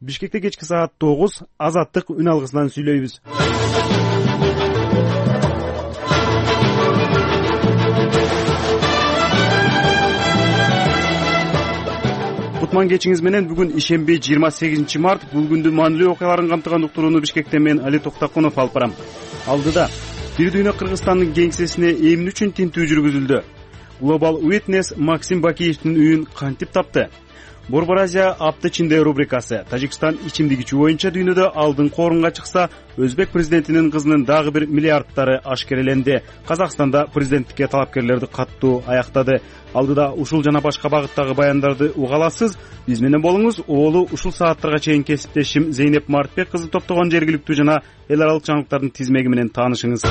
Бишкекте кечки саат 9 Азаттык үн алгысынан сүйлөйбүз. Кутман кечиңиз менен бүгүн ишемби 28 март. Бул күндү маанилүү окуяларын камтыган уктурууну Бишкектен мен Али Токтакунов алып барам. Алдыда Бир дүйнө Кыргызстандын кеңсесине эмне үчүн тинтүү жүргүзүлдү? Global Witness Максим Бакиевдин үйүн кантип тапты? Борбор Азия апта ичинде рубрикасы. Тажикстан ичимдик ичүү боюнча дүйнөдө алдыңкы орунга чыкса, Өзбек президентинин кызынын дагы бир миллиардтары ашкереленди. Казакстанда президенттикке талапкерлерди каттуу аяктады. Алдыда ушул жана башка багыттагы баяндарды уга аласыз. Биз менен болуңуз. Оолу ушул сааттарга чейин кесиптешим Зейнеп Мартбек кызы топтогон жергиликтүү жана эл аралык жаңылыктардын тизмеги менен таанышыңыз.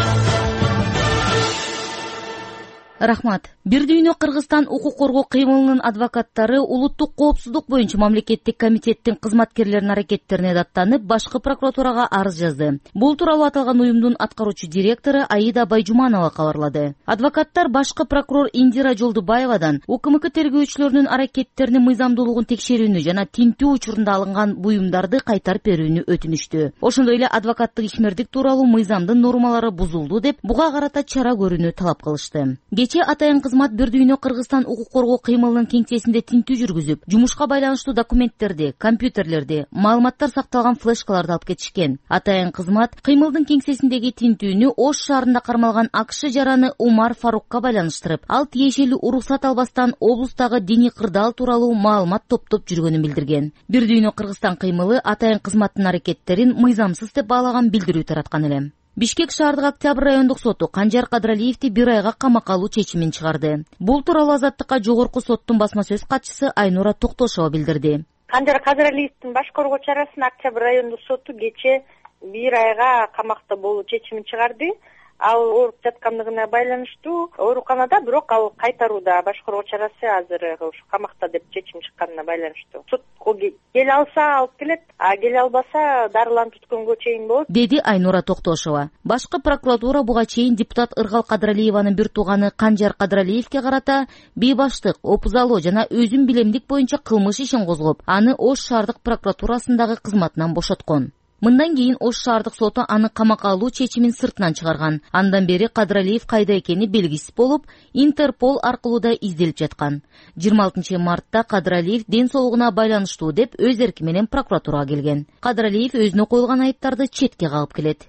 Рахмат. Бир дүйнө Кыргызстан укук коргоо кыймылынын адвокаттары улуттук коопсуздук боюнча мамлекеттик комитеттин кызматкерлеринин аракеттерине даттанып, башкы прокуратурага арыз жазды. Бул тууралуу аталган уюмдун аткаруучу директору Аида Байжуманова кабарлады. Адвокаттар башкы прокурор Индира Жолдубаевадан УКМК тергөөчүлөрүнүн аракеттеринин мыйзамдуулугун текшерүүнү жана тинтүү учурунда алынган буюмдарды кайтарып берүүнү өтүнүштү. Ошондой эле адвокаттык ишмердик тууралуу мыйзамдын нормалары бузулду деп буга карата чара көрүүнү талап кылышты. Атайын кызмат Бир дүйнө Кыргызстан укук коргоо кыймылынын кеңсесинде тинтүү жүргүзүп, жумушка байланыштуу документтерди, компьютерлерди, маалыматтар сакталган флешкаларды алып кетишкен. Атайын кызмат кыймылдын кеңсесиндеги тинтүүнү Ош шаарында кармалган АКШ жараны Умар Фарукка байланыштырып, ал тиешелүү уруксат албастан облустагы диний кырдаал тууралуу маалымат топтоп жүргөнүн билдирген. Бир дүйнө Кыргызстан кыймылы атайын кызматтын аракеттерин мыйзамсыз деп баалаган билдирүү тараткан эле. Бишкек шаардык Октябрь райондук соту Канжар Кадралиевди 1 айга камакка алуу чечимин чыгарды. Бул тууралуу Азаттыкка жогорку соттун басма сөз катчысы Айнура Токтошова билдирди. Канжар Кадралиевдин баш коргоо чарасына Октябрь райондук соту кече 1 айга камакта болуу чечимин чыгарды. Ал ооруп жаткандыгына байланыштуу ооруканада, бирок ал кайтарууда. Баш коргоо чарасы азыр ушу камакта деп чечим чыкканына байланыштуу. Суд келе алса алып келет, а келе албаса дарыланып түшкөнгө чейин болот, деди Айнура Токтошова. Башкы прокуратура буга чейин депутат Ыргал Кадралиеванын бир тууганы Канжар Кадралиевге карата бейбаштык, опузалоо жана өзүн билемдик боюнча кылмыш ишин козгоп, аны Ош шаардык прокуратурасындагы кызматынан бошоткон. Мындан кийин Ош шаардык соту аны камакка алуу чечимин сыртынан чыгарган. Андан бери Кадралиев кайда экени белгисиз болуп, Интерпол аркылуу да изделип жаткан. 26 мартта Кадралиев ден соолугуна байланыштуу деп өз эрки менен прокуратурага келген. Кадралиев өзүнө коюлган айыптарды четке кагып келет.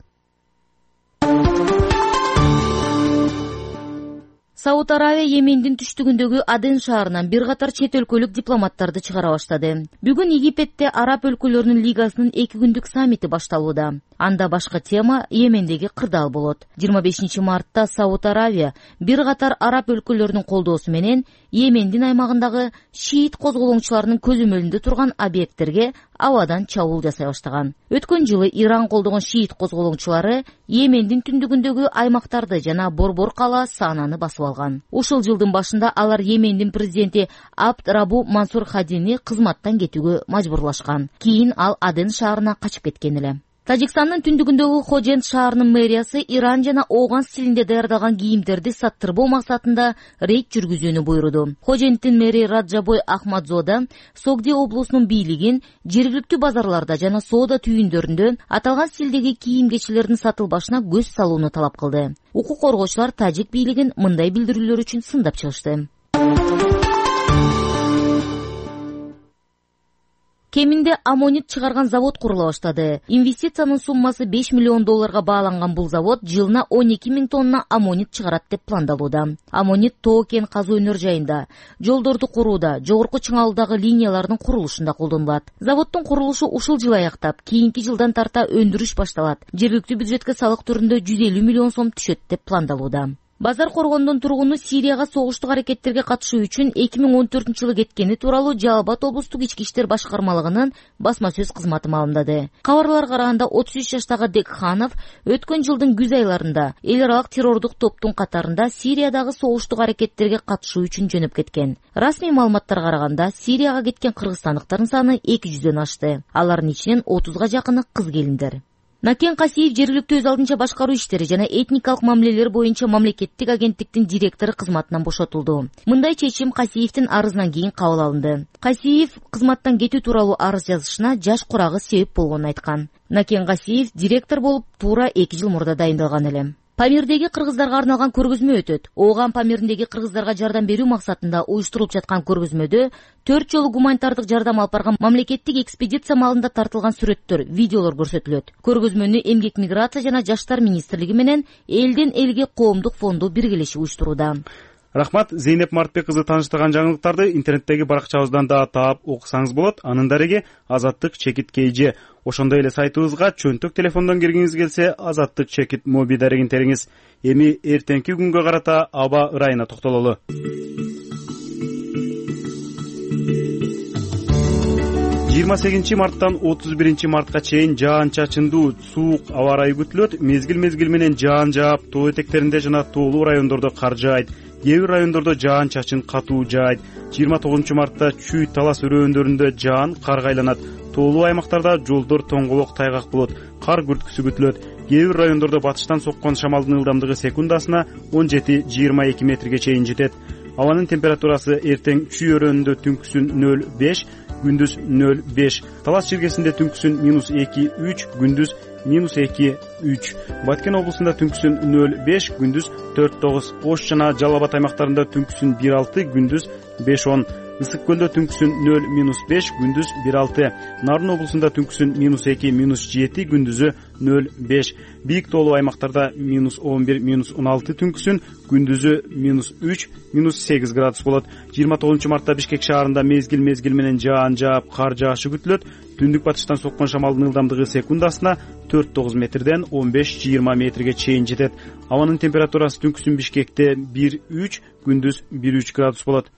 Сауд Аравия Йемендин түштүгүндөгү Аден шаарынан бир катар чет өлкөлүк дипломаттарды чыгара баштады. Бүгүн Египетте Араб өлкөлөрүнүн лигасынын 2 күндүк саммити башталууда. Анда башкы тема Йемендеги кырдаал болот. 25 мартта Сауд Аравия бир катар Араб өлкөлөрүнүн колдоосу менен Йемендин аймагындагы шиит козголоңчуларынын көзөмөлүндө турган объекттерге абадан чабуул жасай баштаган. Өткөн жылы Иран колдогон шиит козголоңчулары Йемендин түндүгүндөгү аймактарды жана Борбор кала Сананы басып алган. Ушул жылдын башында алар Йемендин президенти Абд Рабу Мансур Хадини кызматтан кетүүгө мажбурлашкан. Кийин ал Аден шаарына качып кеткен эле. Тажикстандын түндүгүндөгү Хожент шаарынын мэриясы Иран жана Ооган стилинде даярдалган кийимдерди саттырбоо максатында рейд жүргүзүүнү буйруду. Хоженттин мэри Раджабой Ахмадзода Согди облусунун бийлигин жергиликтүү базарларда жана соода түйүндөрүндө аталган стилдеги кийим-кечилердин сатылбашына көз салууну талап кылды. Укук коргоочулар тажик бийлигин мындай билдирүүлөр үчүн сындап чыгышты. Кеминде аммонит чыгарган завод курула баштады. Инвестициянын суммасы $5 миллион бааланган бул завод жылына 12 000 тонна аммонит чыгарат деп пландалууда. Аммонит тоо кен казуу өнөр жайында, жолдорду курууда, жогорку чыңалуудагы линиялардын курулушунда колдонулат. Заводдун курулушу ушул жыл аяктап, кийинки жылдан тарта өндүрүш башталат. Жергиликтүү бюджетке салык түрүндө 150 миллион сом түшөт деп пландалууда. Базар Коргондун тургуну Сирияга согуштук аракеттерге катышуу үчүн 2014-жылы кеткени тууралуу Жалал-Абад облустук ички иштер башкармалыгынын басма сөз кызматы маалымдады. Кабарларга караганда 33 жаштагы Декханов өткөн жылдын күз айларында эл аралык террордук топтун катарында Сириядагы согуштук аракеттерге катышуу үчүн жөнөп кеткен. Расмий маалыматтарга караганда Сирияга кеткен кыргызстандыктардын саны 200дөн ашты. Алардын ичинен 30га жакыны кыз келиндер. Накен Касиев жергиликтүү өз алдынча башкаруу иштери жана этникалык мамилелер боюнча мамлекеттик агенттиктин директору кызматынан бошотулду. Мындай чечим Касиевдин арызынан кийин кабыл алынды. Касиев кызматтан кетүү тууралуу арыз жазышына жаш курагы себеп болгонун айткан. Накен Касиев директор болуп туура 2 жыл мурда дайындалган эле. Памирдеги кыргыздарга арналган көргөзмө өтөт. Ооган Памирдеги кыргыздарга жардам берүү максатында уюштурулуп жаткан көргөзмөдө 4 жолу гуманитардык жардам алып барган мамлекеттик экспедиция маалында тартылган сүрөттөр, видеолор көрсөтүлөт. Көргөзмөнү Эмгек миграция жана Жаштар министрлиги менен Элден элге коомдук фонду биргелешип уюштурууда. Рахмат. Зейнеп Мартбек кызы тааныштырган жаңылыктарды интернеттеги баракчабыздан да таап окусаңыз болот. Анын дареги Азаттык чекит KG. Ошондой эле сайтыбызга чөнтөк телефондон киргиңиз келсе, Азаттык чекит моби дарегин териңиз. Эми эртеңки күнгө карата аба ырайына токтололу. 28 марттан 31 мартка чейин жаан-чачындуу суук аба ырайы күтүлөт. Мезгил менен жаан жаап, тоо этектеринде жана тоолуу райондордо кар жаайт. Кээ бир райондордо жаан-чачын катуу жаайт. 29 мартта Чүй Талас өрөөндөрүндө жаан карга айланат. Тоолуу аймактарда жолдор тоңголок тайгак болот. Кар күрткүсү күтүлөт. Кээ бир райондордо батыштан соккон шамалдын ылдамдыгы секундасына 17-22 метрге чейин жетет. Абанын температурасы эртең Чүй өрөөнүндө түнкүсүн 0,5, күндүз 0,5. Талас жергесинде түнкүсүн -2-3, күндүз -2-3. Баткен облусунда түнкүсүн 0,5, күндүз 4,9. Ош жана Жалал Абад аймактарында түнкүсүн 1,6, күндүз 5,10. Ысык көлдө түнкүсүн 0-5, күндүз 1,6. Нарын облусунда түнкүсүн -2-7, күндүзү 0,5. Бийик тоолуу аймактарда -11, -16 түнкүсүн, күндүзү -3, -8 градус болот. 29 мартта Бишкек шаарында мезгил менен жаан жаап, кар жаашы күтүлөт. Түндүк батыштан соккон шамалдын ылдамдыгы секундасына 4,9 метрден 15-20 метрге чейин жетет. Абанын температурасы түнкүсүн Бишкекте 1,3, күндүз 1,3 градус болот.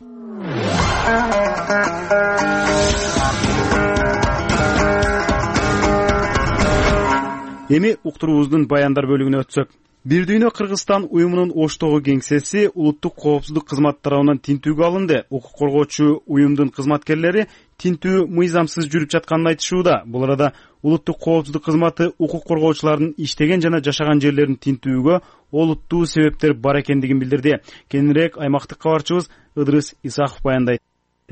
Эми уктуруубуздун баяндар бөлүгүнө өтсөк. Бир дүйнө Кыргызстан уюмунун Оштогу кеңсеси улуттук коопсуздук кызматы тарабынан тинтүүгө алынды. Укук коргоочу уюмдун кызматкерлери тинтүү мыйзамсыз жүрүп жатканын айтышууда. Бул арада улуттук коопсуздук кызматы укук коргоочулардын иштеген жана жашаган жерлерин тинтүүгө олуттуу себептер бар экендигин билдирди. Кененирээк аймактык кабарчыбыз Ыдырыс Исаков баяндайт.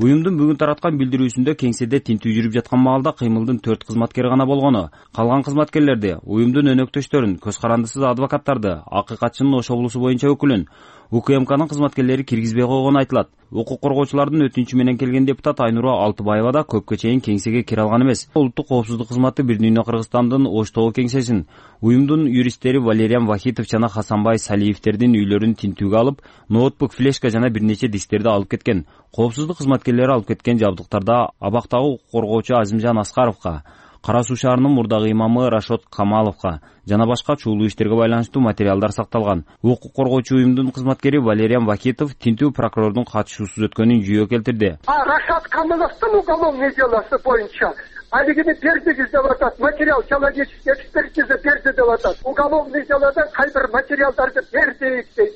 Уюмдун бүгүн тараткан билдирүүсүндө кеңседе тинтүү жүрүп жаткан маалда кыймылдын 4 кызматкери гана болгону, калган кызматкерлерди, уюмдун өнөктөштөрүн, көз карандысыз адвокаттарды, акыйкатчынын Ош облусу боюнча өкүлүн, УКМКнын кызматкерлери киргизбей койгону айтылат. Укук коргоочулардын өтүнүчү менен келген депутат Айнура Алтыбаева да көпкө чейин кеңсеге кире алган эмес. Улуттук коопсуздук кызматы Бир дүйнө Кыргызстандын Оштогу кеңсесин, уюмдун юристтери Валериан Вахитов жана Хасанбай Салиевтердин үйлөрүн тинтүүгө алып, ноутбук, флешка жана бир нече дистерди алып кеткен. Коопсуздук кызматкерлери алып кеткен жабдыктарда абактагы укук коргоочу Азимжан Аскаровго, Кара Суу шаарынын мурдагы имамы Рашот Камаловго жана башка чуулуу иштерге байланыштуу материалдар сакталган. Укук коргоочу уюмдун кызматкери Валериан Вахитов тинтүү прокурордун катышуусуз өткөнүн жүйө келтирди. Рашот Камаловдун уголовный делосы боюнча алигини бердиңиз деп атат, материал человеческий экспертиза берди деп атат. Уголовный делодон кайбир материалдарды бердик дейт.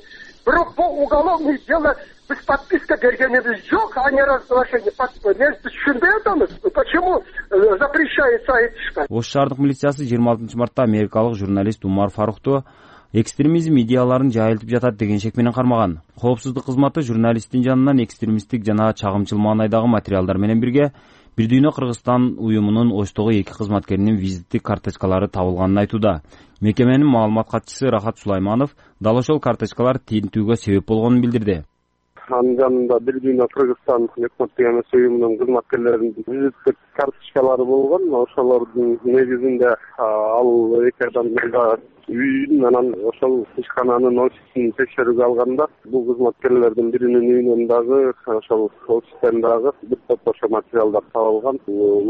Бирок бул уголовный дело биз подписка бергенибиз жок, а не разглашение подписки. Мен түшүнбөй атабыз. Почему запрещается айтышка? Ош шаардык милициясы 26 мартта америкалык журналист Умар Фарухту экстремизм идеяларын жайылтып жатат деген шек менен кармаган. Коопсуздук кызматы журналисттин жанынан экстремисттик жана чагымчыл маанайдагы материалдар менен бирге Бир дүйнө Кыргызстан уюмунун Оштогу 2 кызматкеринин визиттик карточкалары табылганын айтууда. Мекеменин маалымат катчысы Рахат Сулайманов дал ошол карточкалар тинтүүгө себеп болгонун билдирди. Анын жанында Бир дүйнө Кыргызстан өкмөттүк эмес уюмунун кызматкерлеринин визиттик карточкалары болгон. Ошолордун негизинде ал эки адам үйүн анан ошол ишкананын офисин текшерүүгө алганда бул кызматкерлердин биринин үйүнөн дагы ошол офистен дагы бир топ ошо материалдар табылган.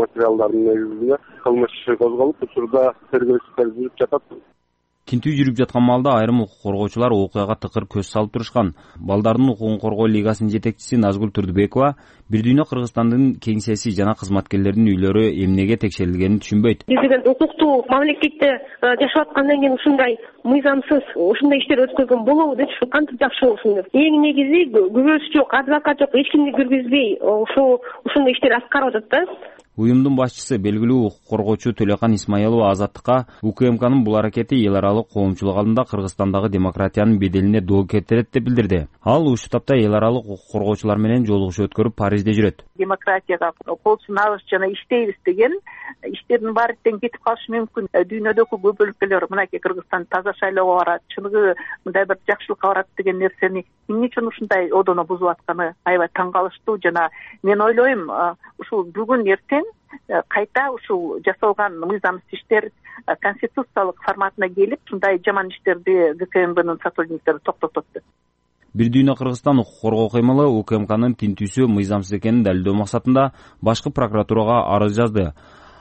Материалдардын негизинде кылмыш иши козголуп, учурда тергөө иштери жүрүп жатат. Тинтүү жүрүп жаткан маалда айрым укук коргоочулар окуяга тыкыр көз салып турушкан. Балдардын укугун коргоо лигасынын жетекчиси Назгүл Турдубекова Бир дүйнө Кыргызстандын кеңсеси жана кызматкерлердин үйлөрү эмнеге текшерилгенин түшүнбөйт. Биз деген укуктуу мамлекетте жашап аткандан кийин ушундай мыйзамсыз ушундай иштер өткөргөн болобу деп кантип жакшы болсун деп. Эң негизи күбөсү жок, адвокат жок, эч кимди киргизбей ушундай иштер аткарып атат да. Уюмдун башчысы белгилүү укук коргоочу Төлөкан Исмаилова Азаттыкка УКМКнын бул аракети эл аралык коомчулук алдында Кыргызстандагы демократиянын беделине доо кетирет деп билдирди. Ал ушул тапта эл аралык укук коргоочулар менен жолугушуу өткөрүп Парижде жүрөт. Демократияга кол сунабыз жана иштейбиз деген иштердин баары тең кетип калышы мүмкүн. Дүйнөдөгү көп өлкөлөр мынакей Кыргызстан таза шайлоого барат, чыныгы мындай бир жакшылыкка барат деген нерсени эмне үчүн ушундай одоно бузуп атканы аябай таң калыштуу. Жана мен ойлойм, ушул бүгүн эртең кайта ушул жасалган мыйзамсыз иштер конституциялык форматына келип, ушундай жаман иштерди ГКМБнын сотрудниктери токтотот деп. Бир дүйнө Кыргызстан укук коргоо кыймылы УКМКнын тинтүүсү мыйзамсыз экенин далилдөө максатында башкы прокуратурага арыз жазды.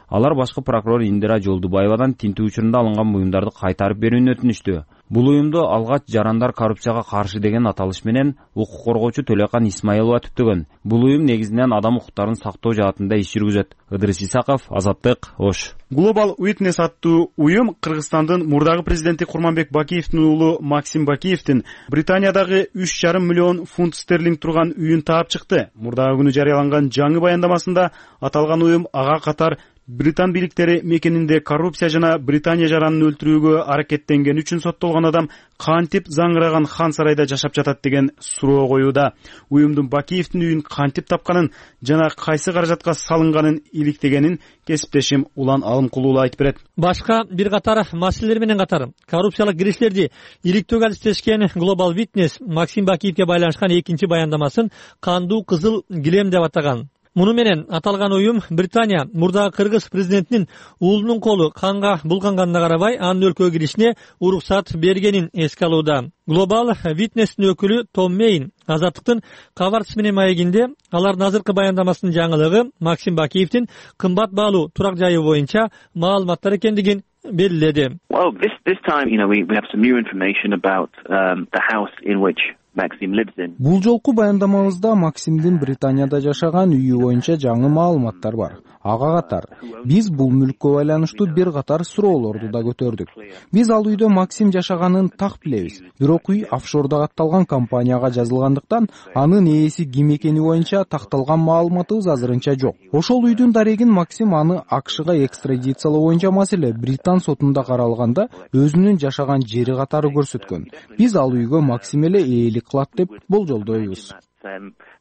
Алар башкы прокурор Индира Жолдубаевадан тинтүү учурунда алынган буюмдарды кайтарып берүүнү өтүнүштү. Бул уюмду алгач жарандар коррупцияга каршы деген аталыш менен укук коргоочу Төлөкан Исмаилова түптөгөн. Бул уюм негизинен адам укуктарын сактоо жаатында иш жүргүзөт. Ыдырыс Исаков, Азаттык, Ош. Global Witness аттуу уюм Кыргызстандын мурдагы президенти Курманбек Бакиевдин уулу Максим Бакиевдин Британиядагы 3,5 миллион фунт стерлинг турган үйүн таап чыкты. Мурдагы күнү жарыяланган жаңы баяндамасында аталган уюм ага катар Британ бийликтери мекенинде коррупция жана Британия жаранын өлтүрүүгө аракеттенгени үчүн соттолгон адам кантип заңыраган хан сарайда жашап жатат деген суроо коюуда. Уюмдун Бакиевдин үйүн кантип тапканын жана кайсы каражатка салынганын иликтегенин кесиптешим Улан Алымкулуу айтып берет. Башка бир катар маселелер менен катар коррупциялык кириштерди иликтөөгө алектешкен Global Witness Максим Бакиевге байланышкан экинчи баяндамасын кандуу кызыл килем деп атаган. Муну менен аталган уюм Британия мурдагы кыргыз президентинин уулунун колу канга булганганына карабай анын өлкөгө киришине уруксат бергенин эске алууда. Global Witness'тин өкүлү Том Мейн Азаттыктын кабарчысы менен маегинде алардын азыркы баяндамасынын жаңылыгы Максим Бакиевдин кымбат баалуу турак жайы боюнча маалыматтар экендигин белгиледи. Well, this time, we have some new information about the house in which Maxim lives in. Бул жолку баяндамабызда Максимдин Британияда жашаган үйү боюнча жаңы маалыматтар бар. Ага катар биз бул мүлккө байланыштуу бир катар суроолорду да көтөрдүк. Биз ал үйдө Максим жашаганын так билебиз. Бирок үй офшордо катталган компанияга жазылгандыктан анын ээси ким экени боюнча такталган маалыматыбыз азырынча жок. Ошол үйдүн дарегин Максим аны АКШга экстрадициялоо боюнча маселе Британ сотунда каралганда өзүнүн жашаган жери катары көрсөткөн. Биз ал үйгө Максим эле ээлик кылат деп болжолдойбуз.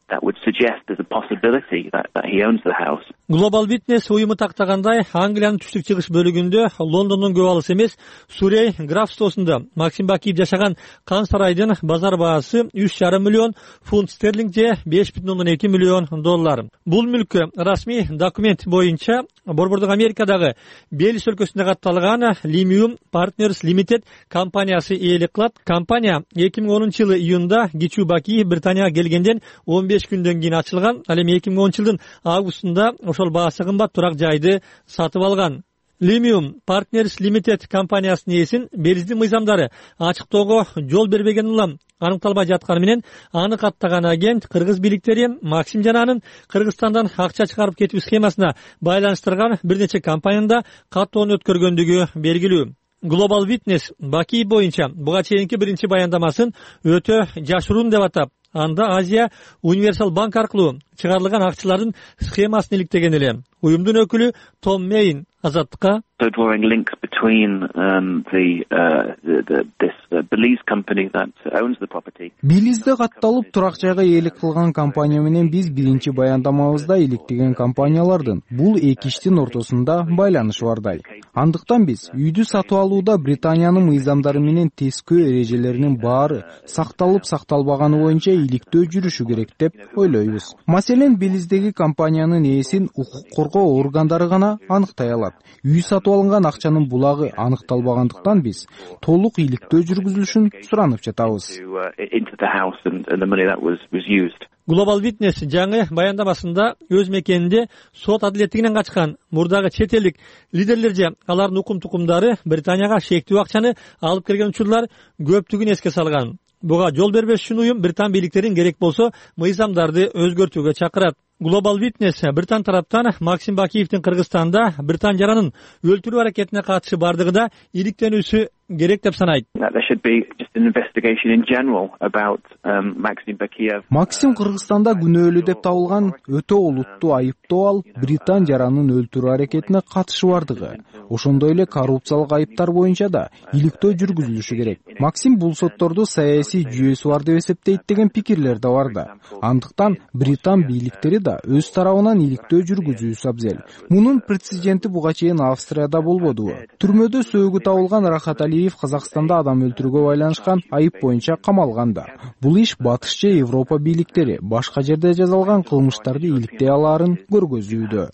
That would suggest there's a possibility that he owns the house. Global Witness уюму тактагандай Англиянын түштүк-чыгыш бөлүгүндө Лондондун көп алыс эмес Сурей графствосунда Максим Бакиев жашаган кан сарайдын базар баасы 3,5 миллион фунт стерлинг же 5,2 миллион доллар. Бул мүлккө расмий документ боюнча Борбордук Америкадагы Белис өлкөсүндө катталган Limium Partners Limited компаниясы ээлик кылат. Компания 2010-жылы июнда Гичу Бакиев Британияга келгенден 15 күндөн кийин ачылган. Ал эми 2010-жылдын августунда ошол баасы кымбат турак жайды сатып алган. Limium Partners Limited компаниясынын ээсин Белиздин мыйзамдары ачыктоого жол бербеген улам аныкталбай жатканы менен аны каттаган агент кыргыз бийликтери Максим жана анын Кыргызстандан акча чыгарып кетүү схемасына байланыштырган бир нече компаниянда каттоonu өткөргөндүгү белгилүү. Global Witness Бакиев боюнча буга чейинки биринчи баяндамасын өтө жашыруун деп атап, анда Азия Универсал банк аркылуу чыгарылган акчалардын схемасын иликтеген эле. Уюмдун өкүлү Том Мейн Азаттыкка So drawing links between this Belize company that owns the property. Белизде катталып турак жайга ээлик кылган компания менен биз биринчи баяндамабызда иликтеген компаниялардын бул эки иштин ортосунда байланыш бардай. Андыктан биз үйдү сатып алууда Британиянын мыйзамдары менен тескөө эрежелеринин баары сакталып сакталбаганы боюнча иликтөө жүрүшү керек деп ойлойбуз. Маселен Белиздеги компаниянын ээсин укук коргоо органдары гана аныктай алат. Үй сатып алынган акчанын булагы аныкталбагандыктан биз толук иликтөө жүргүзүлүшүн суранып жатабыз. Global Witness жаңы баяндамасында өз мекенинде сот адилеттигинен качкан мурдагы чет элдик лидерлер же алардын укум-тукумдары Британияга шектүү акчаны алып келген учурлар көптүгүн эске салган. Буга жол бербеш үчүн уюм Британ бийликтерин керек болсо мыйзамдарды өзгөртүүгө чакырат. Global Witness Британ тараптан Максим Бакиевдин Кыргызстанда Британ жаранын өлтүрүү аракетине катышы бардыгы да иликтенүүсү керек деп санайт. Максим Кыргызстанда күнөөлүү деп табылган өтө олуттуу айыптоо ал Британ жаранын өлтүрүү аракетине катышы бардыгы, ошондой эле коррупциялык айыптар боюнча да иликтөө жүргүзүлүшү керек. Максим бул сотторду саясий жүйөсү бар деп эсептейт деген пикирлер да бар да. Андыктан Британ бийликтери да өз тарабынан иликтөө жүргүзүүсү абзел. Мунун прецеденти буга чейин Австрияда болбодубу? Түрмөдө сөөгү табылган Рахат Алиев Казакстанда адам өлтүрүүгө байланышкан айып боюнча камалган да. Бул иш батыш же Европа бийликтери башка жерде жазалган кылмыштарды иликтей алаарын көргөзүүдө.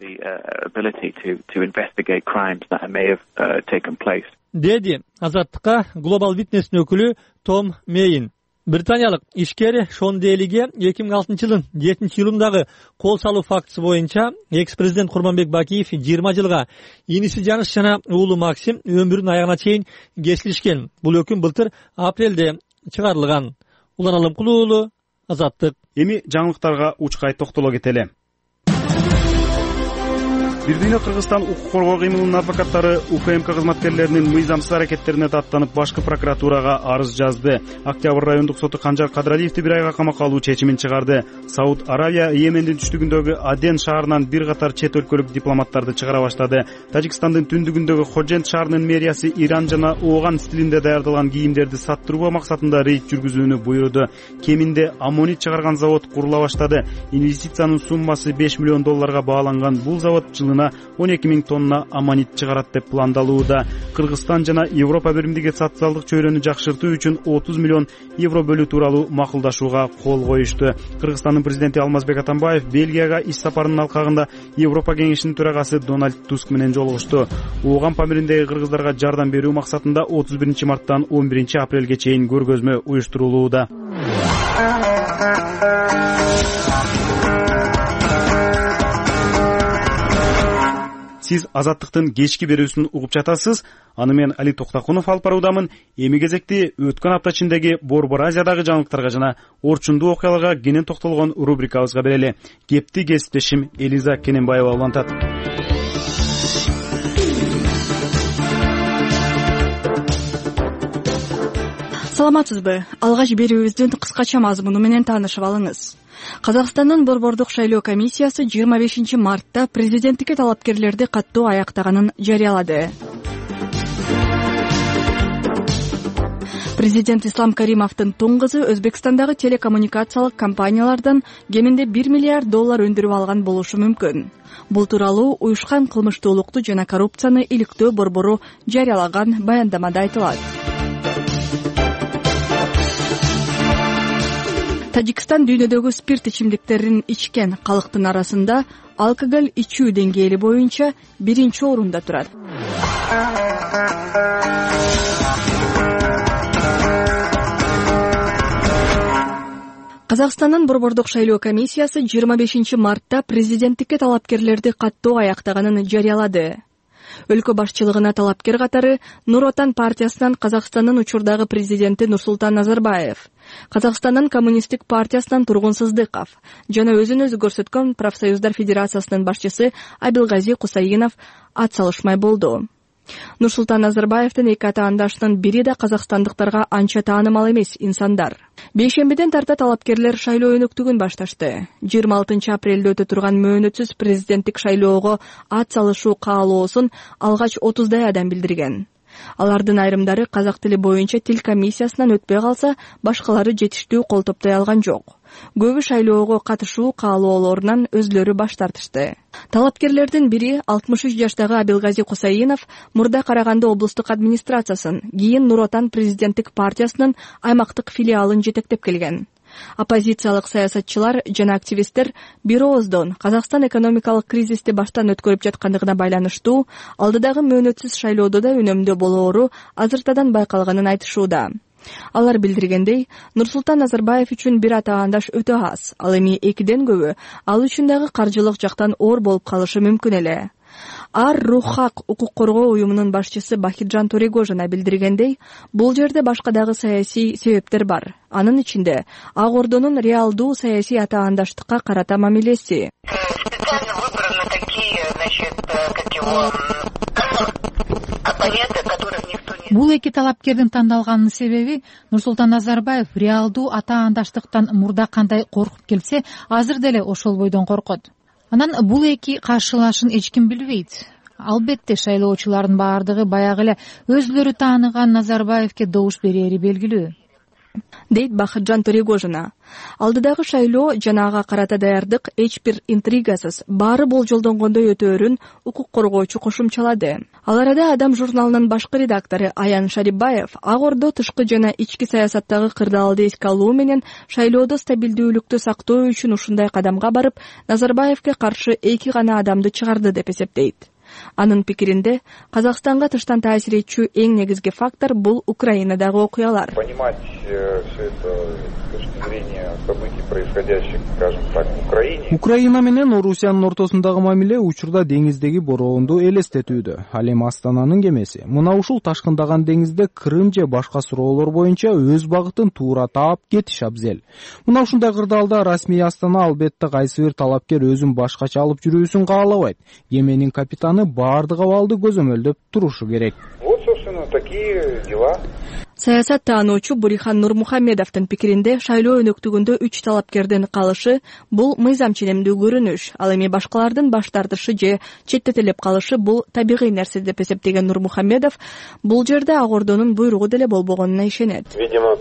Деди Азаттыкка Global Witness'нин өкүлү Том Мейн. Британиялык ишкер Шон Делиге 2006-жылдын 7-июлундагы кол салуу фактысы боюнча экс-президент Курманбек Бакиев 20 жылга иниси Жаныш жана уулу Максим өмүрүнүн аягына чейин кесилишкен. Бул өкүм былтыр апрелде чыгарылган. Улан Алымкулуу уулу, Азаттык. Эми жаңылыктарга учкай токтоло кетели. Бир дүйнө Кыргызстан укук коргоо кыймылынын адвокаттары УКМК кызматкерлеринин мыйзамсыз аракеттерине даттанып башкы прокуратурага арыз жазды. Октябрь райондук соту Канжар Кадыралиевди 1 айга камакка алуу чечимин чыгарды. Сауд Аравия Йемендин түштүгүндөгү Аден шаарынан бир катар чет өлкөлүк дипломаттарды чыгара баштады. Тажикстандын түндүгүндөгү Ходжент шаарынын мэриясы Иран жана Ооган стилинде даярдалган кийимдерди саттыруу максатында рейд жүргүзүүнү буйруду. Кеминде аммонит чыгарган завод курула баштады. Инвестициянын суммасы $5 миллион бааланган бул завод 12 000 тонна аммонит чыгарат деп пландалууда. Кыргызстан жана Европа биримдиги социалдык чөйрөнү жакшыртуу үчүн €30 миллион бөлүү тууралуу макулдашууга кол коюшту. Кыргызстандын президенти Алмазбек Атамбаев Бельгияга иш сапарынын алкагында Европа кеңешинин төрагасы Дональд Туск менен жолугушту. Ооган Памириндеги кыргыздарга жардам берүү максатында 31 марттан 11 апрелге чейин көргөзмө уюштурулууда. Сиз Азаттыктын кечки берүүсүн угуп жатасыз. Аны мен Али Токтакунов алып баруудамын. Эми кезекти өткөн апта ичиндеги Борбор Азиядагы жаңылыктарга жана орчундуу окуяларга кенен токтолгон рубрикабызга берели. Кепти кесиптешим Элиза Кененбаева улантат. Саламатсызбы? Алгач берүүбүздүн кыскача мазмуну менен таанышып алыңыз. Казакстандын Борбордук шайлоо комиссиясы 25 мартта президенттикке талапкерлерди каттоо аяктаганын жарыялады. Президент Ислам Каримовдун тоң кызы Өзбекстандагы телекоммуникациялык компаниялардан кеминде $1 миллиард өндүрүп алган болушу мүмкүн. Бул тууралуу уюшкан кылмыштуулукту жана коррупцияны иликтөө борбору жарыялаган баяндамада айтылат. Тажикстан дүйнөдөгү спирт ичимдиктерин ичкен калктын арасында алкоголь ичүү деңгээли боюнча 1-орунда турат. Казакстандын Борбордук шайлоо комиссиясы 25 мартта президенттикке талапкерлерди каттоо аяктаганын жарыялады. Өлкө башчылыгына талапкер катары Нур Отан партиясынан Казакстандын учурдагы президенти Нурсултан Назарбаев, Казакстандын коммунисттик партиясынан Тургун Сыздыков жана өзүн өзү көрсөткөн профсоюздар федерациясынын башчысы Абилгази Кусаинов ат салышмай болду. Нурсултан Назарбаевдин эки атаандашынын бири да казакстандыктарга анча таанымал эмес инсандар. Бейшембиден тарта талапкерлер шайлоо өнөктүгүн башташты. 26 апрелде өтө турган мөөнөтсүз президенттик шайлоого ат салышуу каалоосун алгач 30 адам билдирген. Алардын айрымдары казак тили боюнча тил комиссиясынан өтпөй калса, башкалары жетиштүү кол топтой алган жок. Көбү шайлоого катышуу каалоолорунан өзлөрү баш тартышты. Талапкерлердин бири 63 жаштагы Абилгази Кусаинов мурда Караганды облустук администрациясын, кийин Нур Отан президенттик партиясынын аймактык филиалын жетектеп келген. Оппозициялык саясатчылар жана активисттер бир ооздон Казакстан экономикалык кризисти баштан өткөрүп жаткандыгына байланыштуу алдыдагы мөөнөтсүз шайлоодо да өнөмдүү болоору азыртадан байкалганын айтышууда. Алар билдиргендей, Нурсултан Назарбаев үчүн бир атаандаш өтө аз, ал эми экиден көбү ал үчүн дагы каржылык жактан оор болуп калышы мүмкүн эле. Ар-Рухак укук коргоо уюмунун башчысы Бахиржан Торегожина билдиргендей, бул жерде башка дагы саясий себептер бар. Анын ичинде Ак Ордонун реалдуу саясий атаандаштыкка карата мамилеси. Бул эки талапкердин тандалганынын себеби Нурсултан Назарбаев реалдуу атаандаштыктан мурда кандай коркуп келсе, азыр деле ошол бойдон коркот. Анан бул эки каршылашын эч ким билбейт. Албетте шайлоочулардын баардыгы баягы эле өзүлөрү тааныган Назарбаевке добуш берери белгилүү, дейт Бакытжан Төрөгожина. Алдыдагы шайлоо жана ага карата даярдык эч бир интригасыз, баары болжолдонгондой өтөөрүн укук коргоочу кошумчалады. Ал арада Адам журналынын башкы редактору Аян Шарибаев Ак Ордо тышкы жана ички саясаттагы кырдаалды эске алуу менен шайлоодо стабилдүүлүктү сактоо үчүн ушундай кадамга барып, Назарбаевке каршы эки гана адамды чыгарды деп эсептейт. Анын пикиринде, Казакстанга тыштан таасир этчү эң негизги фактор бул Украинадагы окуялар. Понимать все это с точки зрения событий, происходящих, скажем так, в Украине. Украина менен Орусиянын ортосундагы мамиле учурда деңиздеги бороонду элестетүүдө. Ал эми Астананын кемеси мына ушул ташкындаган деңизде Крым же башка суроолор боюнча өз багытын туура таап кетиш абзел. Мына ушундай кырдаалда расмий Астана албетте кайсы бир талапкер өзүн башкача алып жүрүүсүн каалабайт. Кеменин капитаны баардык абалды көзөмөлдөп турушу керек. Вот, собственно, такие дела. Саясат таануучу Бурихан Нурмухамедовдун пикиринде шайлоо өнөктүгүндө 3 талапкердин калышы бул мыйзам ченемдүү көрүнүш. Ал эми башкалардын баш тартышы же четтетилип калышы бул табигый нерсе деп эсептеген Нурмухамедов бул жерде Ак Ордонун буйругу деле болбогонуна ишенет. Видимо,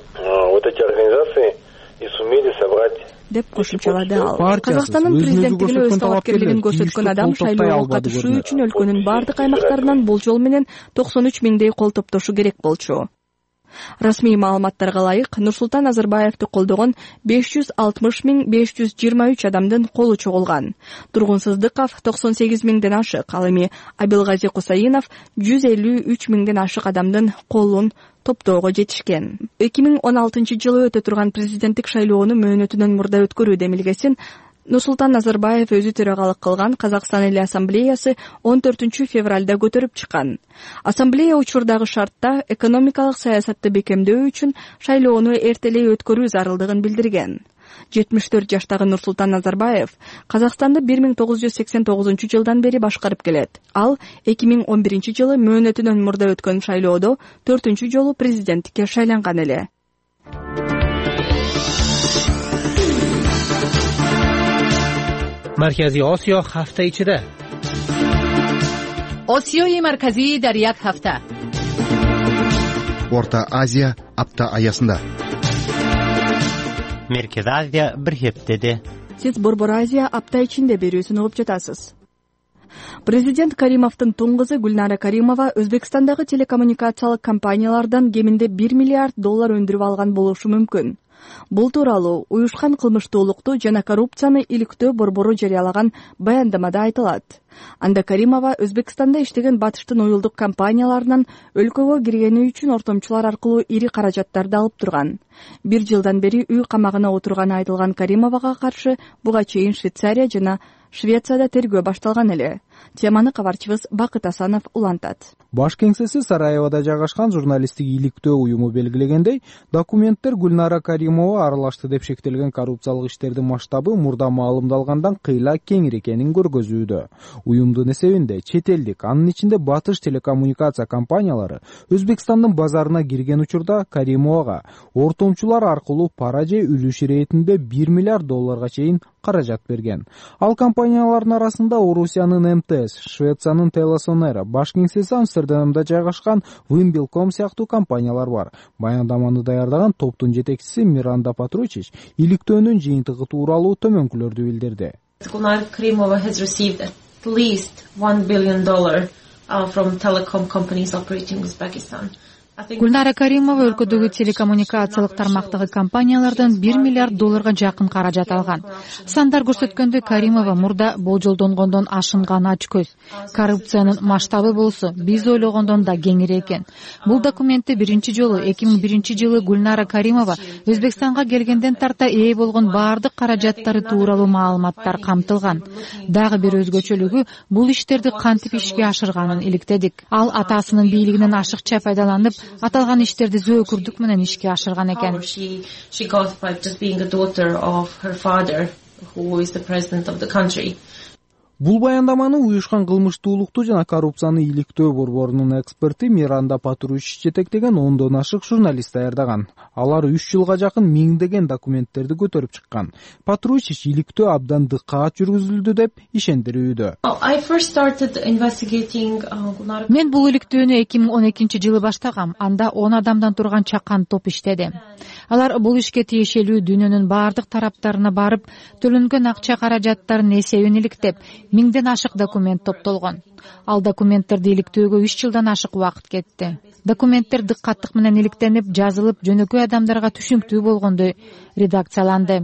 вот эти организации и сумели собрать деп кошумчалады ал. Казакстандын президенттигине өз талапкерлигин көрсөткөн адам шайлоого катышуу үчүн өлкөнүн бардык аймактарынан болжол менен 93 миңдей кол топтошу керек болчу. Расмий маалыматтарга ылайык, Нурсултан Назарбаевди колдогон 560 523 адамдын колу чогулган. Тургун Сыздыков 98 миңден ашык, ал эми Абилгази Кусаинов 153 миңден ашык адамдын колун топтоого жетишкен. 2016-жылы өтө турган президенттик шайлоону мөөнөтүнөн мурда өткөрүү демилгесин Нурсултан Назарбаев өзү төрагалык кылган Казакстан Эл Ассамблеясы 14 февралда көтөрүп чыккан. Ассамблея учурдагы шартта экономикалык саясатты бекемдөө үчүн шайлоону эртелей өткөрүү зарылдыгын билдирген. 74 жаштагы Нурсултан Назарбаев Казакстанды 1989-жылдан бери башкарып келет. Ал 2011-жылы мөөнөтүнөн мурда өткөн шайлоодо 4-жолу президенттикке шайланган эле. مرکزی آسیا هفته ichida. آسیای مرکزی در یک هفته. Орта Азия апта аясында. Merkez Азия bir heftede. Сиз Борбор Азия апта ичинде берүүсүн угуп жатасыз. Президент Каримовдун туң кызы Гүлнара Каримова Өзбекстандагы телекоммуникациялык компаниялардан кеминде $1 миллиард өндүрүп алган болушу мүмкүн. Бул тууралуу уюшкан кылмыштуулукту жана коррупцияны иликтөө борбору жарыялаган баяндамада айтылат. Анда Каримова Өзбекстанда иштеген батыштын уюлдук компанияларынан өлкөгө киргени үчүн ортомчулар аркылуу ири каражаттарды алып турган. 1 жылдан бери үй камагына отурганы айтылган Каримовага каршы буга чейин Швейцария жана Швецияда тергөө башталган эле. Теманы кабарчыбыз Бакыт Асанов улантат. Баш кеңсеси Сараевода жайгашкан журналисттик иликтөө уюму белгилегендей, документтер Гүлнара Каримова аралашты деп шектелген коррупциялык иштердин масштабы мурда маалымдалгандан кыйла кеңир экенин көргөзүүдө. Уюмдун эсебинде чет элдик, анын ичинде батыш телекоммуникация компаниялары Өзбекстандын базарына кирген учурда Каримовага ортомчулар аркылуу пара же үлүш иретинде $1 миллиард чейин каражат берген. Ал компаниялардын арасында Орусиянын МТС, Швециянын Телесонера, баш кеңсеси Амстердамда жайгашкан Wimbledon сыяктуу компаниялар бар. Баяндаманы даярдаган топтун жетекчиси Миранда Патручич иликтөөнүн жыйынтыгы тууралуу төмөнкүлөрдү билдирди. Gulnara Karimova has received at least $1 billion from telecom companies operating in Uzbekistan. Гүлнара Каримова өлкөдөгү телекоммуникациялык тармактагы компаниялардан $1 миллиард жакын каражат алган. Сандар көрсөткөндө Каримова мурда болжолдонгондон ашынган ачкөз. Коррупциянын масштабы болсо биз ойлогондон да кеңири экен. Бул документте биринчи жолу 2001-жылы Гүлнара Каримова Өзбекстанга келгенден тарта ээ болгон баардык каражаттары тууралуу маалыматтар камтылган. Дагы бир өзгөчөлүгү бул иштерди кантип ишке ашырганын иликтедик. Ал атасынын бийлигинен ашыкча пайдаланып аталган иштерди зөөкүрдүк менен ишке ашырган экен. She got by just being a daughter of her father, who is the president of the country. Бул баяндаманы уюшкан кылмыштуулукту жана коррупцияны иликтөө борборунун эксперти Миранда Патручич жетектеген 10дон ашык журналист даярдаган. Алар 3 жылга жакын миңдеген документтерди көтөрүп чыккан. Патручич иликтөө абдан дыккат жүргүзүлдү деп ишендирүүдө. Мен бул иликтөөнү 2012-жылы баштагам. Анда 10 адамдан турган чакан топ иштеди. Алар бул ишке тиешелүү дүйнөнүн баардык тараптарына барып, төлөнгөн акча каражаттарын эсебин иликтеп, 1000ден ашык документ топтолгон. Ал документтерди иликтөөгө 3 жылдан ашык убакыт кетти. Документтер дыккаттык менен иликтенип, жазылып, жөнөкөй адамдарга түшүнүктүү болгондой редакцияланды.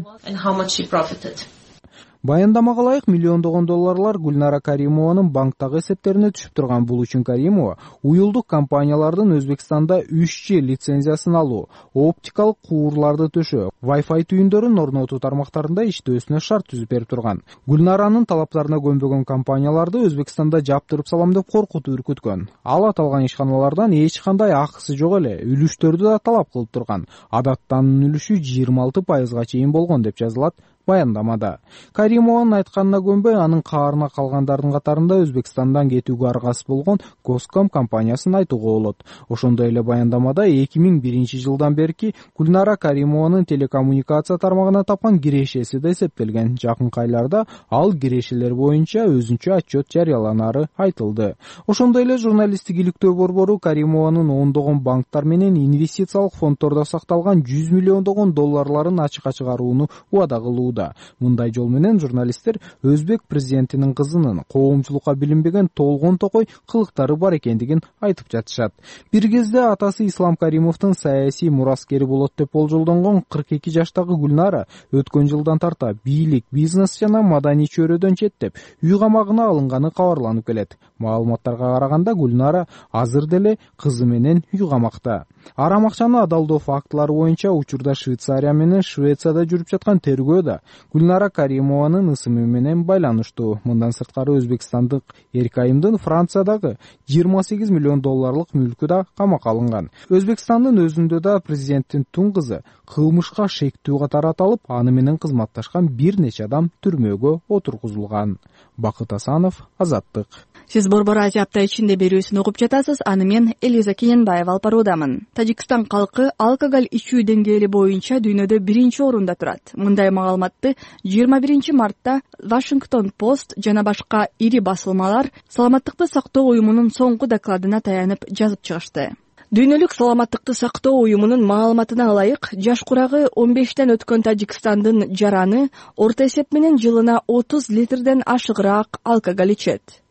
Баяндамага ылайык миллиондогон долларлар Гүлнара Каримованын банктагы эсептерине түшүп турган. Бул үчүн Каримова уюлдук компаниялардын Өзбекстанда 3G лицензиясын алуу, оптикалык куурларды төшөө, Wi-Fi түйүндөрүн орнотуу тармактарында иштөөсүнө шарт түзүп берип турган. Гүлнаранын талаптарына көнбөгөн компанияларды Өзбекстанда жаптырып салам деп коркутуп үркүткөн. Ал аталган ишканалардан эч кандай акысы жок эле үлүштөрдү да талап кылып турган. Адаттанын үлүшү 26% чейин болгон деп жазылат баяндамада. Каримованын айтканына көнбөй, анын каарына калгандардын катарында Өзбекстандан кетүүгө аргасыз болгон Госком компаниясын айтууга болот. Ошондой эле баяндамада 2001-жылдан берки Гүлнара Каримованын телекоммуникация тармагына тапкан кирешеси да эсептелген. Жакынкы айларда ал кирешелер боюнча өзүнчө отчет жарыяланары айтылды. Ошондой эле журналисттик иликтөө борбору Каримованын 10догон банктар менен инвестициялык фонддордо сакталган 100 миллиондогон долларларын ачыкка чыгарууну убада кылууда. Мындай жол менен журналисттер өзбек президентинин кызынын коомчулукка билинбеген толгон токой кылыктары бар экендигин айтып жатышат. Бир кезде атасы Ислам Каримовдун саясий мураскери болот деп болжолдонгон 42 жаштагы Гүлнара өткөн жылдан тарта бийлик, бизнес жана маданий чөйрөдөн четтеп, үй камагына алынганы кабарланып келет. Маалыматтарга караганда Гүлнара азыр деле кызы менен үй камакта. Арам акчаны адалдоо фактылары боюнча учурда Швейцария менен Швецияда жүрүп жаткан тергөө да Гүлнара Каримованын ысымы менен байланыштуу. Мындан сырткары Өзбекстандык Эркайымдын Франциядагы 28 миллион долларлык мүлкү да камакка алынган. Өзбекстандын өзүндө да президенттин тун кызы кылмышка шектүү катары аталып, аны менен кызматташкан бир нече адам түрмөгө отургузулган. Бакыт Асанов, Азаттык. Сиз Борбор Азия апта ичинде берүүсүн угуп жатасыз. Аны мен Элиза Кененбаева алып баруудамын. Тажикстан калкы алкоголь ичүү деңгээли боюнча дүйнөдө 1-орунда турат. Мындай маалыматты 21 мартта Washington Post жана башка ири басылмалар саламаттыкты сактоо уюмунун соңку докладына таянып жазып чыгышты. Дүйнөлүк саламаттыкты сактоо уюмунун маалыматына ылайык, жаш курагы 15тен өткөн Тажикстандын жараны орто эсеп менен жылына 30 литрден ашыгыраак алкоголь ичет.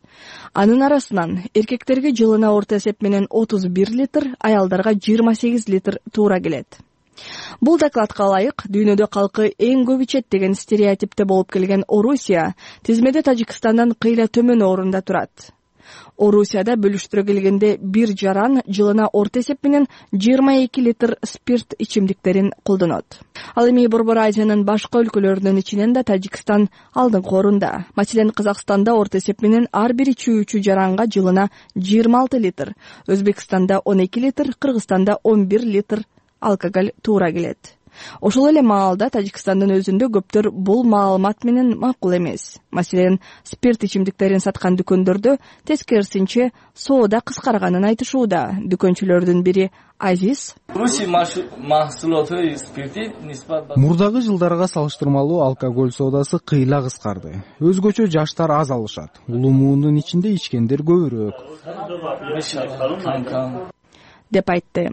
Анын арасынан эркектерге жылына орто эсеп менен 31 литр, аялдарга 28 литр туура келет. Бул докладка ылайык, дүйнөдө калкы эң көп ичет деген стереотипте болуп келген Орусия тизмеде Тажикстандан кыйла төмөн орунда турат. Орусияда бөлүштүрө келгенде бир жаран жылына орто эсеп менен 22 литр спирт ичимдиктерин колдонот. Ал эми Борбор Азиянын башка өлкөлөрүнүн ичинен да Тажикстан алдыңкы орунда. Маселен, Казакстанда орто эсеп менен ар бир ичүүчү жаранга жылына 26 литр, Өзбекстанда 12 литр, Кыргызстанда 11 литр алкоголь туура келет. Ошол эле маалда Тажикстандын өзүндө көптөр бул маалымат менен макул эмес. Маселен, спирт ичимдиктерин саткан дүкөндөрдө тескерисинче соода кыскарганын айтышууда. Дүкөнчүлөрдүн бири Азиз: Мурдагы жылдарга салыштырмалуу алкоголь соодасы кыйла кыскарды. Өзгөчө жаштар аз алышат. Улумуунун ичинде ичкендер көбүрөөк, деп айтты.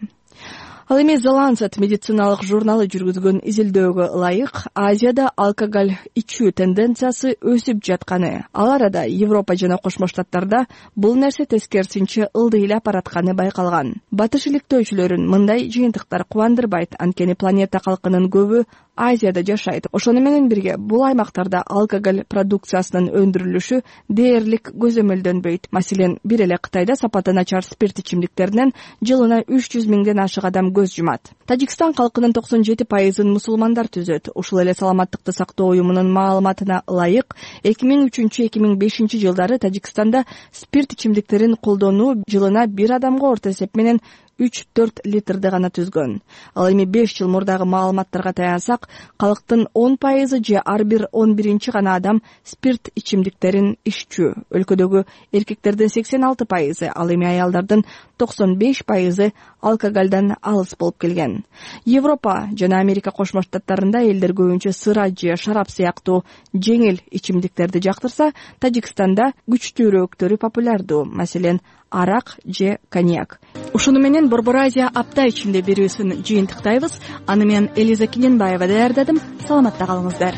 Ал эми The Lancet медициналык журналы жүргүзгөн изилдөөгө ылайык, Азияда алкоголь ичүү тенденциясы өсүп жатканы, ал арада Европа жана Кошмо Штаттарда бул нерсе тескерисинче ылдый эле баратканы байкалган. Батыш иликтөөчүлөрүн мындай жыйынтыктар кубандырбайт, анткени планета калкынын көбү Азияда жашайт. Ошону менен бирге бул аймактарда алкоголь продукциясынын өндүрүлүшү дээрлик көзөмөлдөнбөйт. Маселен, бир эле Кытайда сапаты начар спирт ичимдиктеринен жылына 300 миңден ашык адам көз жумат. Тажикстан калкынын 97%-ын мусулмандар түзөт. Ушул эле саламаттыкты сактоо уюмунун маалыматына ылайык, 2003-2005 жылдары Тажикстанда спирт ичимдиктерин колдонуу жылына бир адамга орто эсеп менен 3-4 литрди гана түзгөн. Ал эми 5 жыл мурдагы маалыматтарга таянсак, калктын 10% же ар бир 11 гана адам спирт ичимдиктерин иччү. Өлкөдөгү эркектердин 86%, ал эми аялдардын 95% алкоголдон алыс болуп келген. Европа жана Америка Кошмо Штаттарында элдер көбүнчө сыра же шарап сыяктуу жеңил ичимдиктерди жактырса, Тажикстанда күчтүүрөөктөрү популярдуу, маселен, арак же коньяк. Ушуну менен Борбор Азия апта ичинде берүүсүн жыйынтыктайбыз. Аны мен Элиза Кененбаева даярдадым. Саламатта калыңыздар.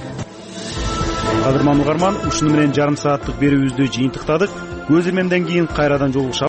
Кадырман угарман, ушуну менен жарым сааттык берүүбүздү жыйынтыктадык. Көз ирмемден кийин кайрадан жолугушабыз.